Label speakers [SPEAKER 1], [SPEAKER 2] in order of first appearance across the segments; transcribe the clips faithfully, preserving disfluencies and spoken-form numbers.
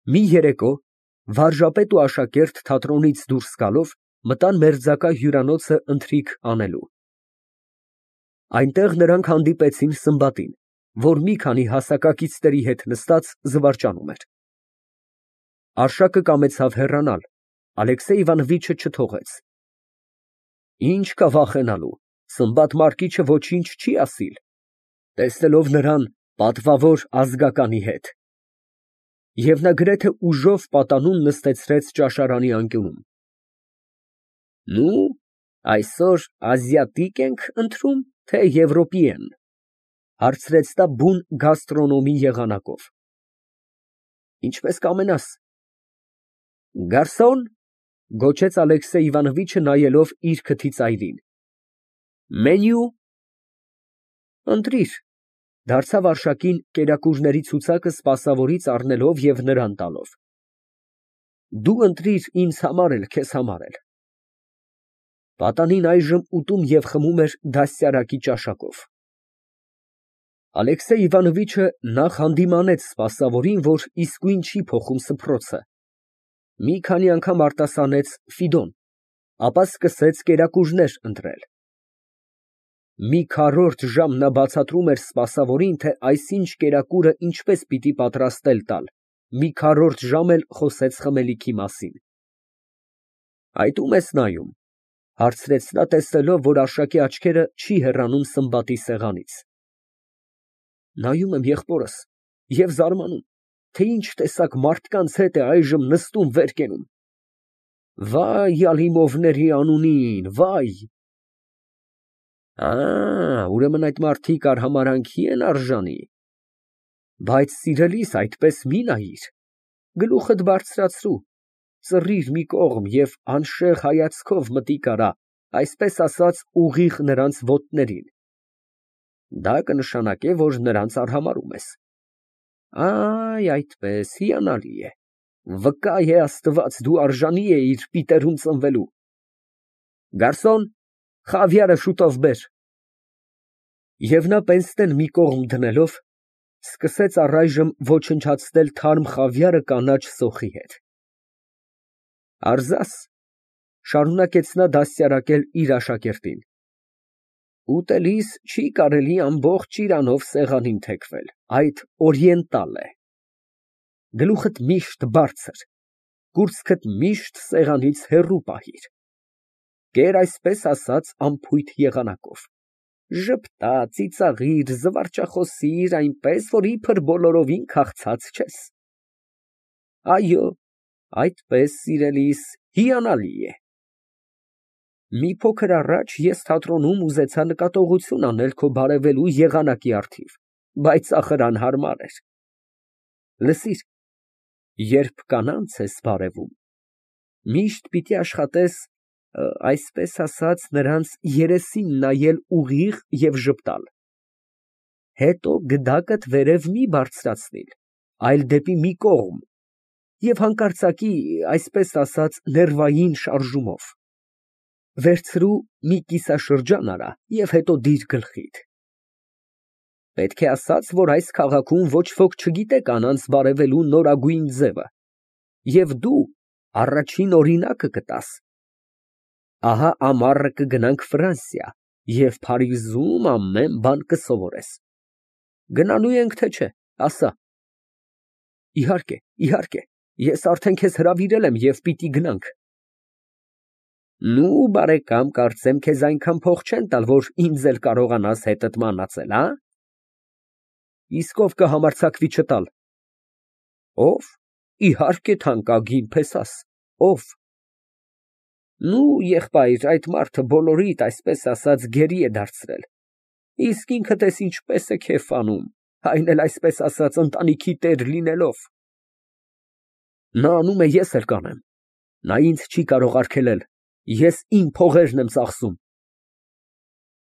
[SPEAKER 1] Մի երեկո վարժապետ ու աշակերտ թատրոնից դուրս գալով մտան մերձակա հյուրանոցը ընթրիք անելու։ Այնտեղ նրանք հանդիպեցին Սմբատին, որ մի քանի հասակակիցների հետ նստած զվարճանում էր։ Արշակը կամեցավ հեռանալ, Ալեքսեյ Իվանովիչը չթողեց։ Ինչ կա վախենալու, Սմբատ Մարկիչը ոչինչ չի ասիլ, տեսնելով նրան պատվավոր ազգականի հետ։ Եվ նա գրեթե ուժով պատանուն նստեցրեց ճաշարանի անկյունում։ Նու, այսօր ազիատիկ ենք ընտրում, թե եվրոպիեն, հարցրեց նա բուն գաստրոնոմի եղանակով։ Ինչպես կամենաս։ Գարսոն, գոչեց Ալեքսեյ Իվանովիչը նայելով իր քթի ծայրին։ Մենյու։ Ընտրիր, դարձավ Արշակին կերակուրների ցուցակը սպասավորից առնելով և նրան տալով։ Դու ընտրիր ինձ համար էլ, քեզ համար էլ։ Պատանին այժմ ուտում և խմում էր դաստիարակի ճաշակով։ Ալեքսեյ Իվանովիչը նախ հանդիմանեց սպասավորին, որ իսկույն չի փոխում սփռոցը, մի քանի անգամ արտասանեց Ֆիդոն, ապա սկսեց կերակուրներ ընտրել։ Մի քառորդ ժամ նա բացատրում էր սպասավորին, թե այսինչ կերակուրը ինչպես պիտի պատրաստել տալ, մի քառորդ ժամ էլ խոսեց խմելիքի մասին։ Այդ ո՞ւմ ես նայում, հարցրեց նա, տեսնելով, որ Արշակի աչքերը չի հեռանում Սմբատի սեղանից։ Նայում եմ եղբորս և զարմանում, թե ինչ տեսակ մարդկանց հետ է այժմ նստում վեր կենում։ Վայ Ալիմովների անունին, վայ։ Ա, ուրեմն այդ մարդիկ արհամարհանքի են արժանի։ Բայց սիրելիս, այդպես մի նայիր, գլուխդ բարձրացրու, ծռիր մի կողմ և անշեղ հայացքով մտիկ արա, այսպես ասած, ուղիղ նրանց ոտներին։ Դա կնշանակե, որ նրանց արհամարհում ես։ Այ, այդպես, հիանալի է, վկա է Աստված, դու արժանի էիր պիտերում ծնվելու։ Գարսոն, խավիարը շուտով բեր։ Եվ նա պենսնեն մի կողմ դնելով, սկսեց առայժմ ոչնչացնել թարմ խավիարը կանաչ սոխի հետ։ Արզաս, շարունակեց նա դաստիարակել իր աշակերտին, ուտելիս չի կարելի ամբողջ իրանով սեղանին թեքվել, այդ օրիենտալ է։ Գլուխդ միշտ բարձր, կուրծքդ միշտ սեղանից հեռու պահիր։ Կեր այսպես ասած անփույթ եղանակով, ժպտա, ծիծաղիր, զվարճախոսիր, այնպես, որ իբր բոլորովին քաղցած չես։ Այո, այդպես, սիրելիս, հիանալի է։ Մի փոքր առաջ ես թատրոնում ուզեցա նկատողություն անել քո բարևելու եղանակի առթիվ, բայց ախր անհարմար էր։ Լսիր, երբ կանանց ես բարևում, միշտ պիտի աշխատես, այսպես ասած, նրանց երեսին նայել ուղիղ և ժպտալ։ Հետո գդակդ վերև մի բարձրացնիլ, այլ դեպի մի կողմ և հանկարծակի, այսպես ասած, ներվային շարժումով։ Վերցրու մի կիսաշրջան արա և հետո դիր գլխիդ։ Պետք է ասած, որ այս քաղաքում ոչ ոք չգիտե կանանց բարևելու նորագույն ձևը, և դու առաջին օրինակը կտաս։ Ահա ամառը կգնանք Ֆրանսիա և Փարիզում ամեն բան կսովորես։ Գնալու ենք, թե չէ, ասա։ Իհարկե, իհարկե, ես արդեն քեզ հրավիրել եմ և պիտի գնանք։ Նու, բարեկամ, կարծեմ քեզ այնքան փող չեն տալ, որ ինձ էլ կարողանաս հետդ մանածել, հա։ Իսկ ով կհամարձակվի չտալ։ Ով, իհարկե, թանկագին փեսաս, ով։ Նու, եղբայր, այդ մարդը բոլորիդ, այսպես ասած, գերի է դարձրել, իսկ ինքդ ես ինչպես է քեֆ անում, այն էլ, այսպես ասած, ընտանիքի տեր լինելով։ Նա անում է, ես էլ կանեմ, նա ինձ չի կարող արգելել, ես իմ փողերն եմ ծախսում։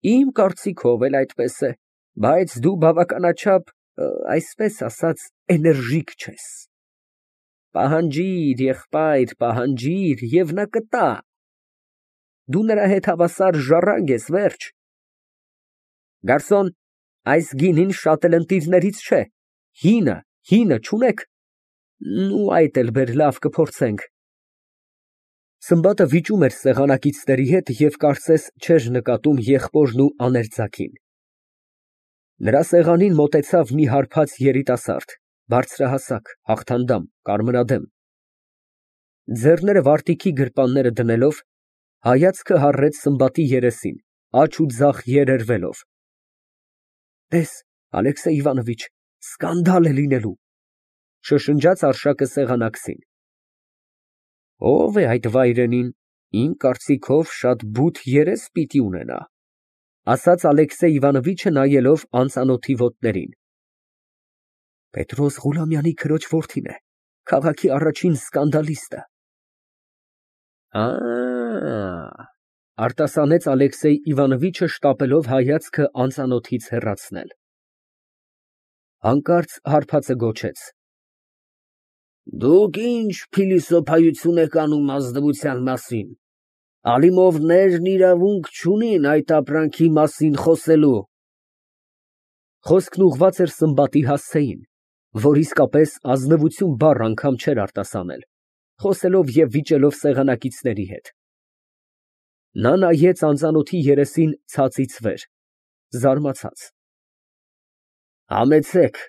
[SPEAKER 1] Իմ կարծիքով էլ այդպես է, բայց դու բավականաչափ, այսպես ասած, էներժիկ չես։ Պահանջիր, եղբայր, պահանջիր, և նա կտա։ Դու նրա հետ հավասար ժառանգ ես, վերջ։ Գարսոն, այս գինին շատ էլ ընտիրներից չէ, հինը, հինը չունեք։ Նու այդ էլ բեր, լավ կփորձենք։ Սմբատը վիճում էր սեղանակիցների հետ և կարծես չէր նկատում եղբորն ու աներձակին։ Նրա սեղանին մոտեցավ մի հարբած երիտասարդ, բարձրահասակ, հաղթանդամ, կարմրադեմ։ Ձեռները վարտիքի գրպանները դնելով, հայացքը հառեց Սմբատի երեսին, աջ ու ձախ երերվելով։ Տես, Ալեքսեյ Իվանովիչ, սկանդալ է լինելու, շշնջաց Արշակը սեղանակցին։ Ո՞վ է այդ վայրենին, իմ կարծիքով շատ բութ երես պիտի ունենա, ասաց Ալեքսեյ Իվանովիչը նայելով անծանոթի ոտներին։ Պետրոս Ղուլամյանի քրոջ որդին է, քաղաքի առաջին սկանդալիստը։ Ա, արտասանեց Ալեքսեյ Իվանովիչը շտապելով հայացքը անծանոթից հեռացնել։ Հանկարծ հարբածը գոչեց. Դուք ինչ փիլիսոփայություն եք անում ազնվության մասին, Ալիմովներն իրավունք չունին այդ ապրանքի մասին խոսելու։ Խոսքն ուղղված էր Սմբատի հասցեին, որ իսկապես ազնվություն բառ անգամ չէր արտասանել, խոսելով և վիճելով սեղանակիցների հետ։ Նա նայեց անծանոթի երեսին ցածից վեր, զարմացած։ Համեցեք,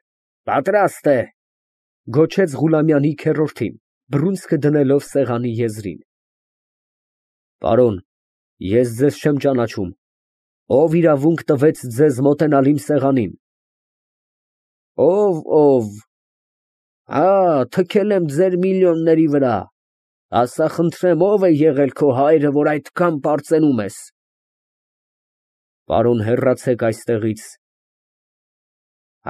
[SPEAKER 1] պատրաստ է, գոչեց Ղուլամյանի քեռորդին, բռունցքը դնելով սեղանի եզրին։ Պարոն, ես ձեզ չեմ ճանաչում, ով իրավունք տվեց ձեզ մոտենալ իմ սեղանին։ Ով, ով, հա, թքել եմ ձեր միլիոնների վրա, ասա խնդրեմ, ով է եղել քո հայրը, որ այդքան պարծենում ես։ Պարոն, հեռացեք այստեղից։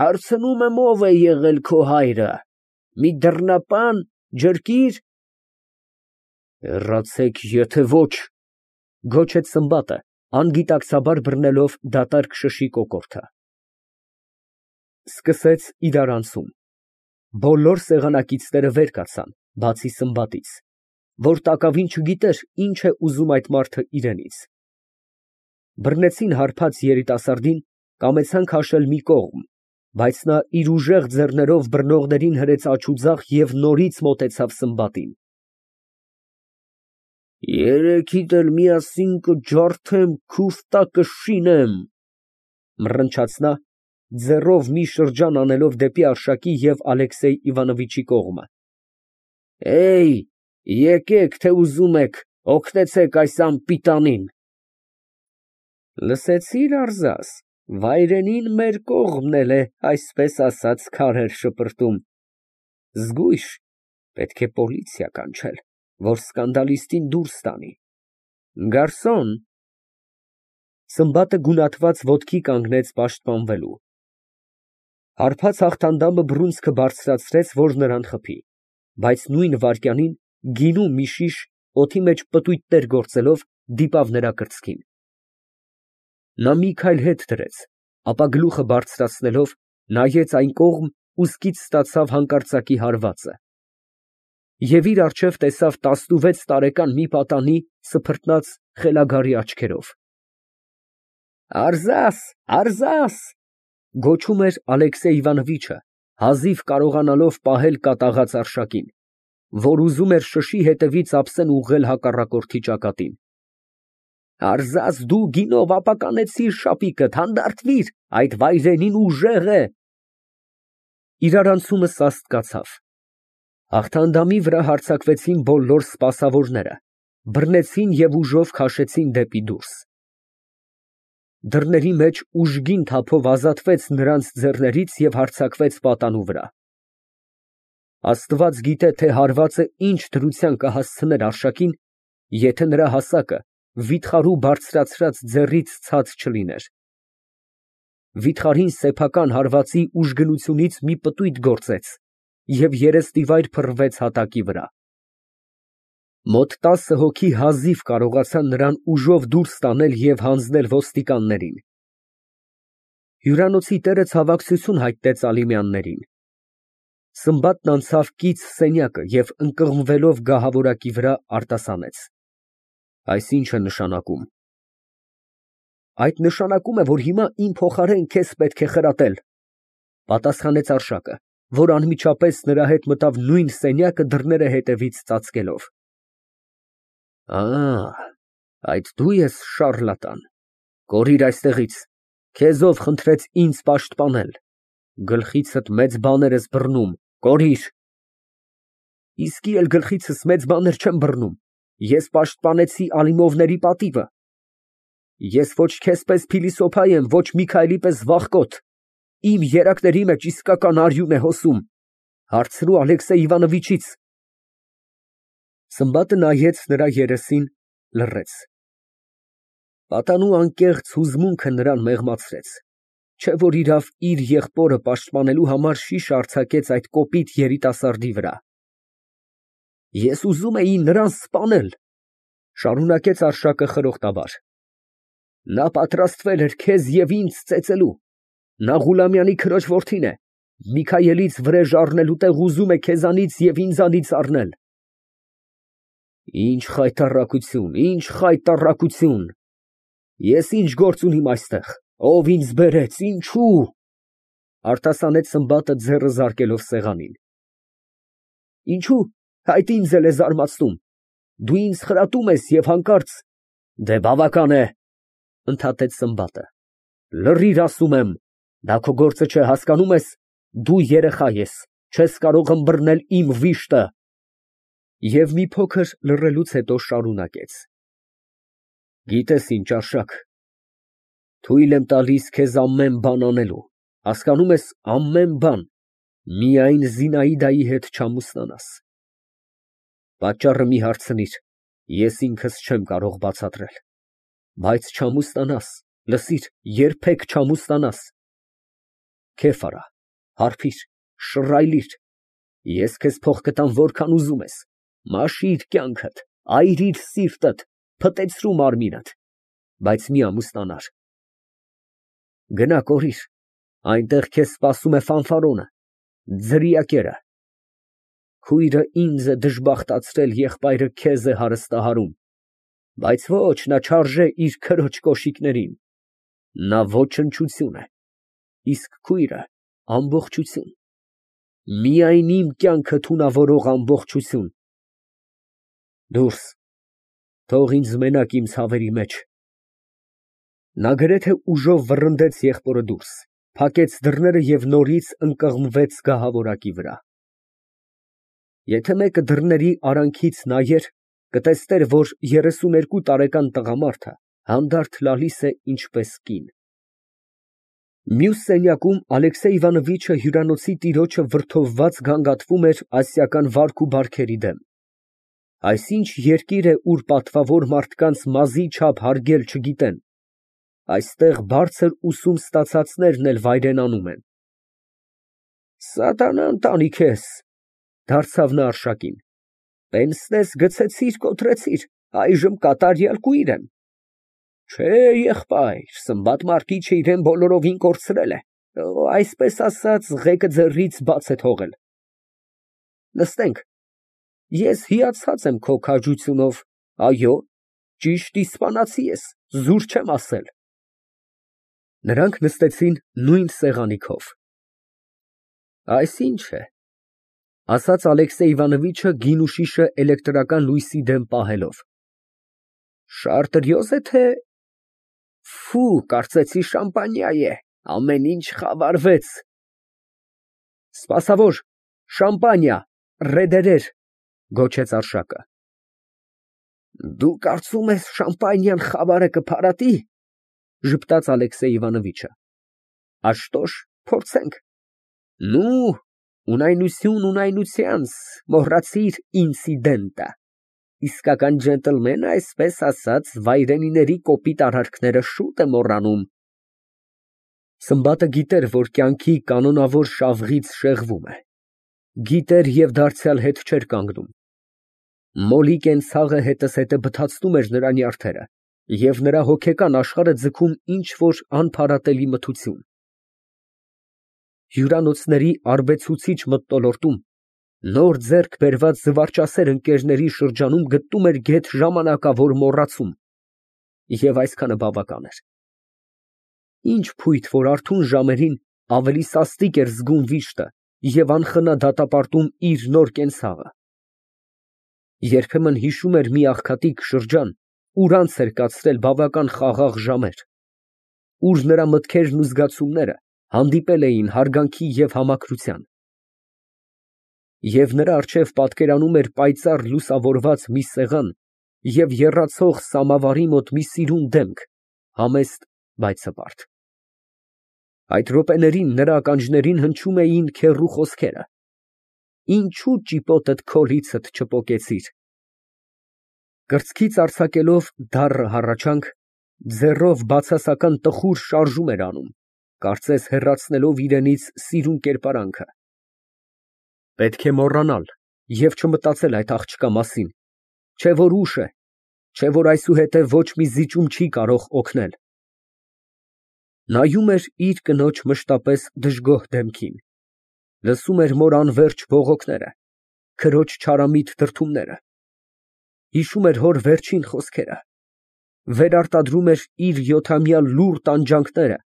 [SPEAKER 1] Հարցնում եմ, ով է եղել քո հայրը, մի դռնապան, ջրկիր։ Հեռացեք, եթե ոչ, գոչեց Սմբատը, անգիտակցաբար բռնելով դատարկ շշի կոկորդը։ Սկսեց իրարանցում։ Բոլոր սեղանակիցները վեր կացան, բացի Սմբատից, որ տակավին չգիտեր ինչ է ուզում այդ մարդը իրենից։ Բռնեցին հարբած երիտասարդին, կամեցան քաշել մի կողմ, բայց նա իր ուժեղ ձեռներով բռնողներին հրեց աջ ու ձախ և նորից մոտեցավ Սմբատին։ Երեքիդ էլ միասին կջարդեմ, քուֆտա կշինեմ, մռնչաց նա, ձեռով մի շրջան անելով դեպի Արշակի և Ալեքսեյ Իվանովիչի կողմը։ Էյ, եկեք, թե ուզում եք, օգնեցեք այս անպիտանին։ Լսեցի՞ր, Արձազ, վայրենին մեր կողմն էլ է, այսպես ասած, քարեր շպրտում։ Զգույշ, պետք է պոլիցիա կանչել, որ սկանդալիստին դուրս տանի։ Գարսոն։ Սմբատը գունատված ոտքի կանգնեց պաշտպանվելու։ Հարբած հաղթանդամը բռունցքը բարձրացրեց, որ նրան խփի, բայց նույն վայրկյանին գինու մի շիշ, օդի մեջ պտույտներ գործելով, դիպավ նրա կրծքին։ Նա մի քայլ հետ դրեց, ապա գլուխը բարձրացնելով, նայեց այն կողմ ու սկից ստացավ հանկարծակի հարվածը։ Եվ իր առջև տեսավ տասնուվեց տարեկան մի պատանի սփռտնած խելագարի աչքերով։ Արձաս, Արձաս, գոչում էր Ալեքսեյ Իվանովիչը, հազիվ կարողանալով պահել կատաղած Արշակին, որ ուզում էր շշի հետևից ափսեն ուղղել հակառակորդի ճակատին։ Արձաս, դու գինով ապականեցիր շապիկդ, հանդարտվիր, այդ վայրենին ուժեղ է։ Իրարանցումը սաստկացավ։ Հաղթանդամի վրա հարձակվեցին բոլոր սպասավորները, բռնեցին և ուժով քաշեցին դեպի դուրս։ Դռների մեջ ուժգին թափով ազատվեց նրանց ձեռներից և հարձակվեց պատանու վրա։ Աստված գիտե, թե հարվածը ինչ դրության կհասցներ Արշակին, եթե նրա հասակը վիթխարու բարձրացրած ձեռից ցած չլիներ։ Վիթխարին սեփական հարվածի ուժգնությունից մի պտույտ գործեց և երեսնիվայր փռվեց հատակի վրա։ Մոտ տասը հոգի հազիվ կարողացան նրան ուժով դուրս տանել և հանձնել ոստիկաններին։ Հյուրանոցի տերը ցավակցություն հայտնեց Ալիմյաններին։ Սմբատն անցավ կից սենյակը և ընկղմվելով գահավորակի վրա արտասանեց. Այս ի՞նչ է նշանակում։ Այդ նշանակում է, որ հիմա իմ փոխարեն քեզ պետք է խրատել, պատասխանեց Արշակը, որ անմիջապես նրա հետ մտավ նույն սենյակը դռները հետևից ծածկելով։ Ա, այդ դու ես շառլատան, կորիր այստեղից, քեզ ով խնդրեց ինձ պաշտպանել, գլխիցդ մեծ բաներ ես բռնում, կորիր։ Իսկի էլ գլխիցս մեծ բաներ չեմ բռնում, ես պաշտպանեցի Ալիմովների պատիվը։ Ես ոչ քեզ պես փիլիսոփա եմ, ոչ Միքայելի պես վախկոտ, իմ երակների մեջ իսկական արյուն է հոսում, հարցրու Ալեքսեյ Իվանովիչից։ Սմբատը նայեց նրա երեսին, լռեց։ Պատանու անկեղծ հուզմունքը նրան մեղմացրեց, չէ որ իրավ իր եղբորը պաշտպանելու համար շիշ արձակեց այդ կոպիտ երիտասարդի վրա։ Ես ուզում էի նրան սպանել, շարունակեց Արշակը խրոխտաբար։ Նա պատրաստվել էր քեզ և ինձ ծեծելու, նա Ղուլամյանի քրոջ որդին է, Միքայելից վրեժ առնելու տեղ ուզում է քեզանից և ինձանից առնել։ Ինչ խայտառակություն, ինչ խայտառակություն, ես ինչ գործ ունիմ այստեղ, ով ինձ բերեց, ինչու, արտասանեց Սմբատը ձեռը զարկելով սեղանին։ Ինչու, այդ ինձ էլ է զարմացնում, դու ինձ խրատում ես և հանկարծ, դե բավական է, ընդհատեց Սմբատը, լռիր ասում եմ, դա քո գործը չէ, հասկանում ես, դու երեխա ես, չես կարող ըմբռնել իմ վիշտը։ Եվ մի փոքր լռելուց հետո շարունակեց. Գիտես ինչ, Արշակ, թույլ եմ տալիս քեզ ամեն բան անելու, հասկանում ես, ամեն բան, միայն Զինայդայի հետ չամուսնանաս։ Պատճառը մի հարցնիր, ես ինքս չեմ կարող բացատրել, բայց չամուսնանաս, լսիր, երբեք չամուսնանաս։ Քեֆ արա, հարբիր, շռայլիր, ես քեզ փող կտամ որքան ուզում ես, մաշիր կյանքդ, այրիր սիրտդ, փտեցրու մարմինդ, բայց մի ամուսնանար։ Գնա կորիր, այնտեղ քեզ սպասում է ֆանֆարոնը, ձրիակերը։ Քույրը ինձ է դժբախտացրել, եղբայրը քեզ է հարստահարում, բայց ոչ, նա չարժե իր քրոջ կոշիկներին, նա ոչնչություն է, իսկ քույրը ամբողջություն, միայն իմ կյանքը թունավորող ամբողջություն։ Դուրս, թող ինձ մենակ իմ ցավերի մեջ։ Նա գրեթե ուժով վռնդեց եղբորը դուրս, փակեց դռները և նորից ընկղմվեց գահավորակի վրա։ Եթե մեկը դռների արանքից նայեր, կտեսներ, որ երեսուներկու տարեկան տղամարդը հանդարտ լալիս է ինչպես կին։ Մյուս սենյակում Ալեքսեյ Իվանովիչը հյուրանոցի տիրոջը վրդովված գանգատվում էր ասիական վարք ու բարքերի դեմ։ Այսինչ երկիր է, ուր պատվավոր մարդկանց մազի չափ հարգել չգիտեն, այստեղ բարձր ուսում ստացածներն էլ վայրենանում են։ Սատանան տանի քեզ, դարձավ նա Արշակին, պենսնես գցեցիր, կոտրեցիր, այժմ կատարյալ կույր եմ։ Չէ, եղբայր, Սմբատ Մարկիչը իրեն բոլորովին կորցրել է, այսպես ասած, ղեկը ձեռից բաց է թողել։ Նստենք, ես հիացած եմ քո քաջությունով, այո, ճիշտ իսպանացի ես, զուր չեմ ասել։ Նրանք նստեցին նույն սեղանի քով։ Այս ինչ է, ասաց Ալեքսեյ Իվանովիչը գինու շիշը էլեկտրական լույսի դեմ պահելով։ Շարտրյոզ է, թե… Ֆու, կարծեցի շամպանիա է, ամեն ինչ խավարվեց։ Սպասավոր, շամպանիա, ռեդերեր, գոչեց Արշակը։ Դու կարծում ես շամպանիան խավարը կփարատի, ժպտաց Ալեքսեյ Իվանովիչը։ Աշտոշ, փորձենք։ Նու, ունայնություն ունայնությանց, մոռացիր ինցիդենտը։ Իսկական ջենտլմենը, այսպես ասած, վայրենիների կոպիտ արարքները շուտ է մոռանում։ Սմբատը գիտեր, որ կյանքի կանոնավոր շավղից շեղվում է։ Գիտեր և դարձյալ հետ չէր կանգնում։ Մոլի կենցաղը հետզհետե բթացնում էր նրա նյարդերը, և նրա հոգեկան աշխարհը ձգում ինչ֊որ անփարատելի մթություն։ Հյուրանոցների արբեցուցիչ մթնոլորտում, նոր ձեռք բերված զվարճասեր ընկերների շրջանում գտնում էր գեթ ժամանակավոր մոռացում, և այսքանը բավական էր։ Ինչ փույթ, որ արթուն ժամերին ավելի սաստիկ էր զգում վիշտը, և անխնա դատապարտում իր նոր կենցաղը։ Երբեմն հիշում էր մի աղքատիկ շրջան, ուր անց էր կացրել բավական խաղաղ ժամեր, ուր նրա մտքերն ու զգացումները հանդիպել էին հարգանքի և համակրության։ Եվ նրա առջև պատկերանում էր պայծառ լուսավորված մի սեղան և եռացող սամավարի մոտ մի սիրուն դեմք, համեստ, բայց հպարտ։ Այդ րոպեներին նրա ականջներին հնչում էին քեռու խոսքերը. «Ինչո՞ւ ճիպոտդ քոլիցդ չպոկեցիր»։ Կրծքից արձակելով դառը հառաչանք, ձեռով բացասական տխուր շարժում էր անում, կարծես հեռացնելով իրենից սիրուն կերպարանքը։ Պետք է մոռանալ և չմտածել այդ աղջկա մասին, չէ որ ուշ է, չէ որ այսուհետև ոչ մի զիջում չի կարող օգնել։ Նայում էր իր կնոջ մշտապես դժգոհ դեմքին, լսում էր մոր անվերջ բողոքները, քրոջ չարամիտ դրդումները, հիշում էր հոր վերջին խոսքերը, վերարտադրում էր իր յոթամյա լուռ տանջանքները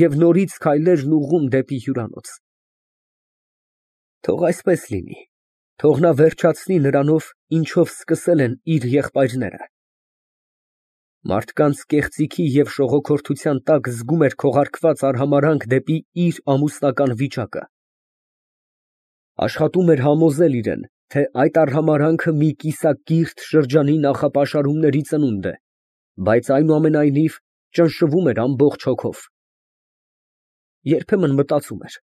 [SPEAKER 1] և նորից քայլերն ուղղում դեպի հյուրանոց։ Թող այսպես լինի, թող նա վերջացնի նրանով, ինչով սկսել են իր եղբայրները։ Մարդկանց կեղծիքի և շողոքորթության տակ զգում էր քողարկված արհամարհանք դեպի իր ամուսնական վիճակը։ Աշխատում էր համոզել իրան, թե այդ արհամարհանքը մի կիսակիրթ շրջանի նախապաշարումների ծնունդ է, բայց այնուամենայնիվ ճնշվում էր ամբողջ հոգով։ Երբեմն մտածում էր.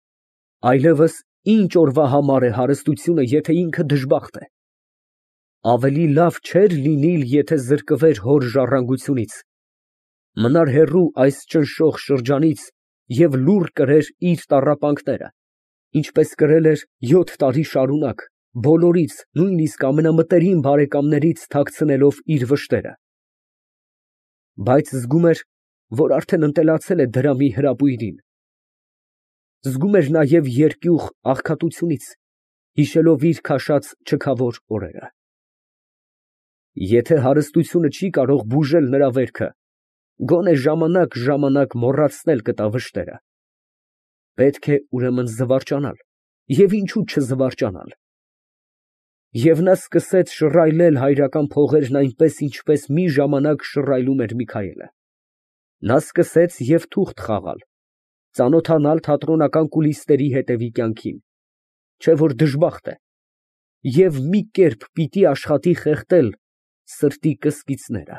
[SPEAKER 1] այլևս ինչ օրվա համար է հարստությունը, եթե ինքը դժբախտ է։ Ավելի լավ չէր լինիլ, եթե զրկվեր հոր ժառանգությունից, մնար հեռու այս ճնշող շրջանից և լուռ կրեր իր տառապանքները, ինչպես կրել էր յոթ տարի շարունակ, բոլորից, նույնիսկ ամենամտերիմ բարեկամներից թաքցնելով իր վշտերը։ Բայց զգում էր, որ արդեն ընտելացել է դրամի հրապույրին։ Զգում էր նաև երկյուղ աղքատությունից, հիշելով իր քաշած չքավոր օրերը։ Եթե հարստությունը չի կարող բուժել նրա վերքը, գոնե ժամանակ֊ժամանակ մոռացնել կտա վշտերը։ Պետք է ուրեմն զվարճանալ, և ինչո՞ւ չզվարճանալ։ Եվ նա սկսեց շռայլել հայրական փողերն այնպես, ինչպես մի ժամանակ շռայլում էր Միքայելը։ Նա սկսեց և թուղթ խաղալ, ծանոթանալ թատրոնական կուլիսների հետևի կյանքին, չէ որ դժբախտ է, և մի կերպ պիտի աշխատի խեղդել սրտի կսկիծները։